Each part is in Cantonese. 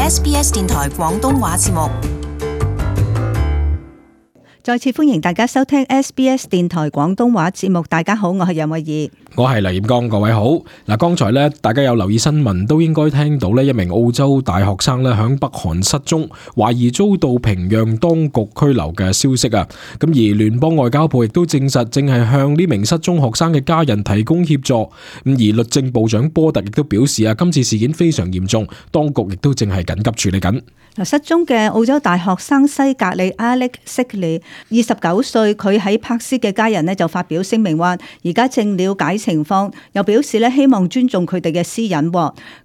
SBS 電台廣東話節目。再次歡迎大家收聽 SBS 電台廣東話節目。大家好，我係楊慧儀，我係黎彥剛，各位好。嗱，剛才咧，大家有留意新聞，都應該聽到咧，一名澳洲大學生咧響北韓失蹤，懷疑遭到平壤當局拘留嘅消息啊。咁而聯邦外交部亦都證實，正係向呢名失蹤學生嘅家人提供協助。咁而律政部長波特亦都表示啊，今次事件非常嚴重，當局亦都正係緊急處理緊。失蹤嘅澳洲大學生西格里 Alex Sigley 29歲，佢喺柏斯嘅家人呢就發表聲明話，而家正了解情況，又表示咧希望尊重佢哋嘅私隱。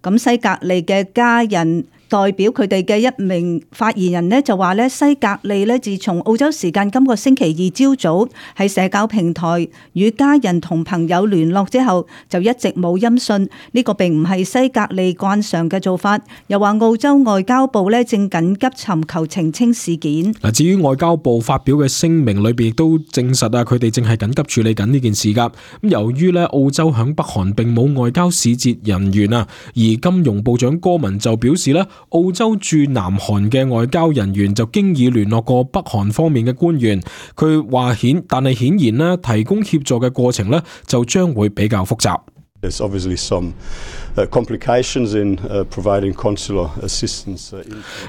咁西格里嘅家人代表佢哋嘅一名發言人呢就話咧，西格里咧自從澳洲時間今個星期二朝早喺社交平台與家人同朋友聯絡之後，就一直冇音訊。呢個並唔係西格里慣常嘅做法。又話澳洲外交部咧正緊急尋求澄清事件。嗱，至於外交部發表嘅聲明裏邊亦都證實啊，佢哋正係緊急處理緊呢件事噶。咁由於咧澳洲響北韓並冇外交使節人員啊，而金融部長戈文就表示咧，澳洲駐南韓嘅外交人員就經已聯絡過北韓方面嘅官員，佢話但係顯然咧提供協助嘅過程咧就將會比較複雜。There's obviously some complications in providing consular assistance.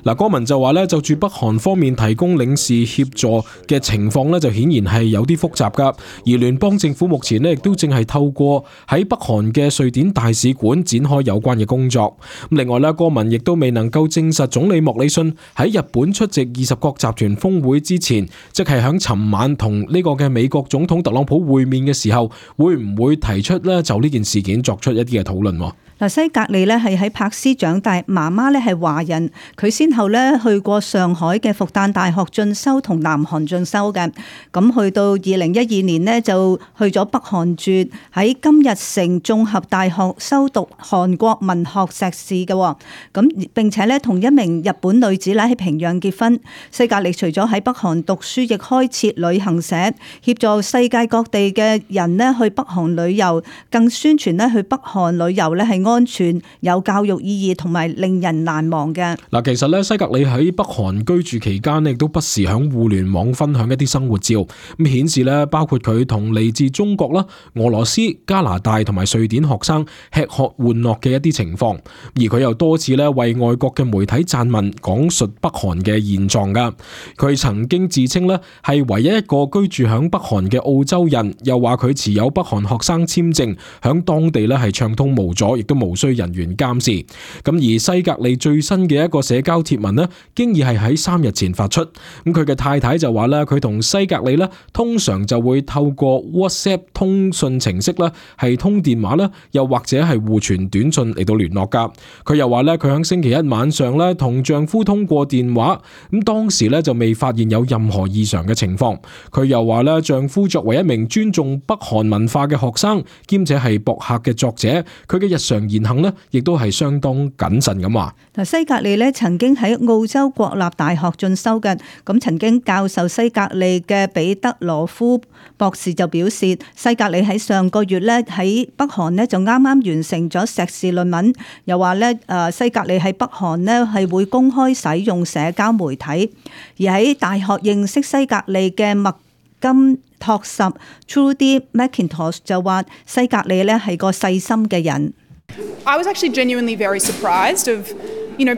嗱，戈文就話咧，就住北韓方面提供領事協助嘅情況咧，就顯然係有啲複雜噶。而聯邦政府目前咧，亦都正係透過喺北韓嘅瑞典大使館展開有關嘅工作。另外咧，戈文亦都未能夠證實總理莫里遜喺日本出席20國集團峰會之前，即係響尋晚同呢個嘅美國總統特朗普會面嘅時候，會唔會提出咧就呢件事件作出一啲嘅討論。西格里咧係喺柏斯長大，媽媽咧係華人，佢先後咧去過上海嘅復旦大學進修同南韓進修嘅。咁去到2012年呢，就去咗北韓住，喺金日成綜合大學修讀韓國文學碩士嘅。咁並且咧同一名日本女子咧喺平壤結婚。西格里除咗喺北韓讀書，亦開設旅行社，協助世界各地嘅人咧去北韓旅遊，更宣傳咧去北韓旅遊咧係安全、有教育意義同埋令人難忘嘅。嗱，其實咧西格里喺北韓居住期間亦都不時響互聯網分享一啲生活照，咁顯示咧包括佢同嚟自中國啦、俄羅斯、加拿大同埋瑞典學生吃喝玩樂嘅一啲情況。而佢又多次咧為外國嘅媒體撰文講述北韓嘅現狀噶。佢曾經自稱咧係唯一一個居住響北韓嘅澳洲人，又話佢持有北韓學生簽證，響當地咧係暢通無阻，亦都無需人員監視。咁而西格里最新嘅一個社交貼文呢，經已係喺3日前發出。咁佢嘅太太就話咧，佢同西格里呢通常就會透過 WhatsApp 通訊程式啦，係通電話啦，又或者係互傳短信嚟到聯絡噶。佢又話咧，佢喺星期一晚上咧同丈夫通過電話，咁當時咧就未發現有任何異常嘅情況。佢又話咧，丈夫作為一名尊重北韓文化嘅學生，兼且係博客嘅作者，佢嘅日常言行呢亦都係相當謹慎咁話。西格里咧曾經喺澳洲國立大學進修嘅，咁曾經教授西格里嘅彼得羅夫博士就表示，西格里喺上個月咧喺北韓咧就啱啱完成咗碩士論文，又話咧西格里喺北韓咧係會公開使用社交媒體，而喺大學認識西格里嘅麥金托什 Trudy McIntosh 就話西格里咧係個細心嘅人。I was actually genuinely very surprised of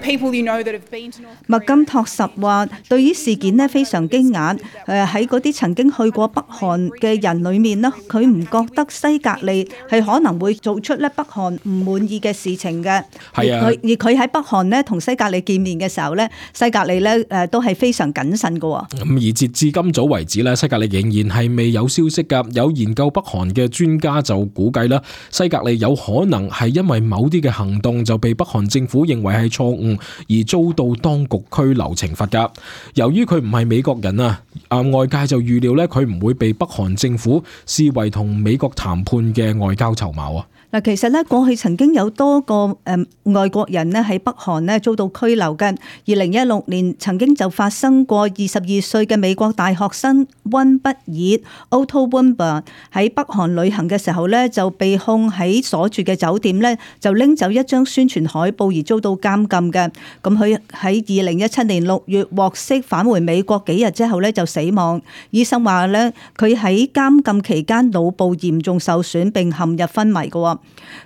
people that have been to North Korea. 麥金托什話對於事件呢非常驚訝，喺嗰啲曾經去過北韓嘅人裏面呢，佢唔覺得西格里係可能會做出咧北韓唔滿意嘅事情嘅。係啊，而佢喺北韓呢同西格里見面嘅時候呢，西格里呢都係非常謹慎嘅。咁而截至今早為止呢，西格里仍然係未有消息㗎。有研究北韓嘅專家就估計啦，西格里有可能係因為某啲嘅行動就被北韓政府認為係錯誤而遭到當局拘留懲罰噶。由於佢唔係美國人啊，外界就預料咧佢唔會被北韓政府視為同美國談判嘅外交籌碼啊。嗱，其實咧過去曾經有多個外國人咧喺北韓咧遭到拘留嘅。2016年曾經就發生過22歲嘅美國大學生溫畢爾 Otto Warmbier 喺北韓旅行嘅時候咧就被控喺所住嘅酒店咧就拎走一張宣傳海報而遭到監禁嘅。咁佢喺2017年6月獲釋返回美國幾日之後咧就死亡。醫生話咧佢喺監禁期間腦部嚴重受損並陷入昏迷嘅。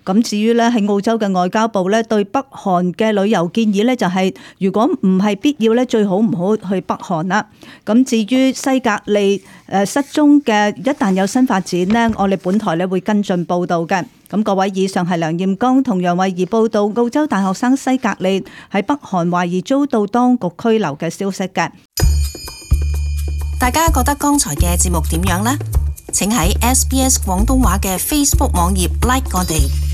咁至於咧喺澳洲嘅外交部咧對北韓嘅旅遊建議咧就係如果唔係必要咧最好唔好去北韓啦。咁至於西格利失蹤嘅一旦有新發展呢，我哋本台咧會跟進報導嘅。咁各位，以上係梁艷剛同楊慧儀報道澳洲大學生西格利喺北韓懷疑遭到當局拘留嘅消息嘅。大家覺得剛才嘅節目點樣呢？請喺SBS 廣東話嘅 Facebook 網頁 like 我哋。